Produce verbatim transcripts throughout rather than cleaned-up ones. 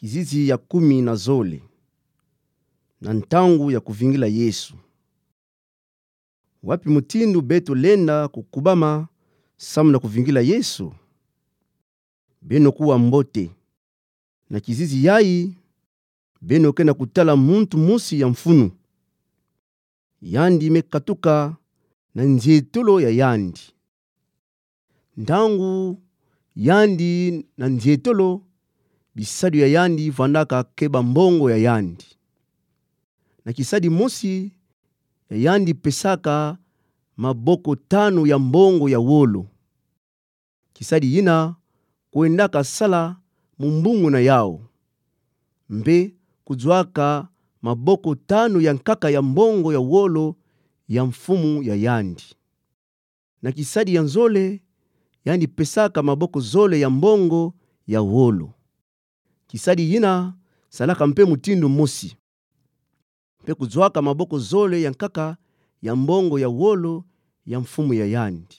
Kizizi ya kumi na zole. Na ntangu ya kuvingila Yesu. Wapi mutindu beto lenda kukubama samu na kuvingila Yesu? Beno kuwa mbote. Na kizizi yayi, beno ke na kutala muntu mosi ya mfunu. Yandi me katuka na nzietolo ya yandi. Ntangu yandi na nzietolo, bisadu ya yandi vandaka keba mbongo ya yandi. Na kisadi mosi ya yandi pesaka maboko tanu ya mbongo ya wolo. Kisadi yina kwendaka sala mu mbungu na yau, mpe kuzuaka maboko tanu ya nkaka ya mbongo ya wolo ya mfumu ya yandi. Na kisadi ya nzole, yandi pesaka maboko zole ya mbongo ya wolo. Kisadi yina salaka mpe mutindu mosi, mpe kuzuaka maboko zole ya nkaka ya mbongo ya wolo ya mfumu ya yandi.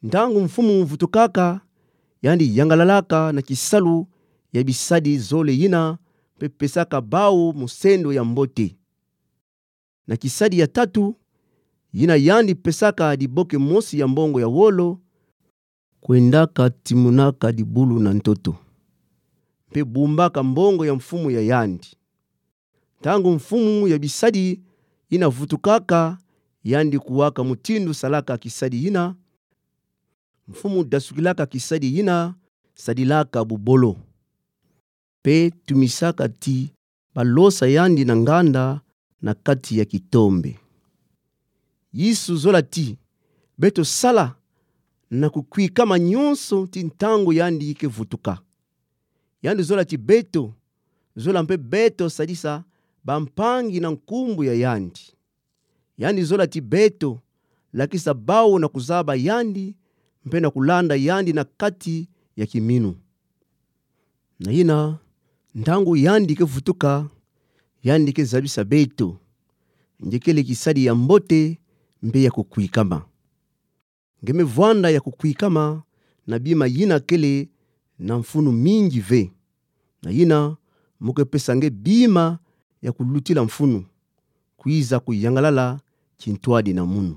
Ntangu mfumu vutukaka, yandi yangalalaka na kisalu ya bisadi zole yina, mpe pesaka bau musendo ya mbote. Na kisadi ya tatu, yina yandi pesaka diboke mosi ya mbongo ya wolo, kwendaka timunaka dibulu na ntoto, mpe bumbaka mbongo ya mfumu ya yandi. Ntangu mfumu ya bisadi yina vutukaka, yandi kuwaka mutindu salaka kisadi yina, mfumu dasukilaka kisadi yina, sadilaka bubolo, mpe tumisaka ti balosa yandi na nganda na kati ya kitombe. Yesu zola ti beto sala na kukwikama nyonso ti ntangu yandi ke vutuka. Yandi zola ti beto, zola mpe beto sadisa bampangi na nkumbu ya yandi. Yandi zola ti beto lakisa bau na kuzaba yandi, mpe na kulanda yandi na kati ya kiminu. Na yina, ntangu yandi ke vutuka, yandi ke zabisa beto nge kele kisadi ya mbote mpe ya kukwikama. Nge me vwanda ya kukwikama na bima yina kele na mfunu mingi ve. Na yina, mo ke pesa nge bima ya kulutila mfunu, kwiza kuyangalala kintwadi na munu.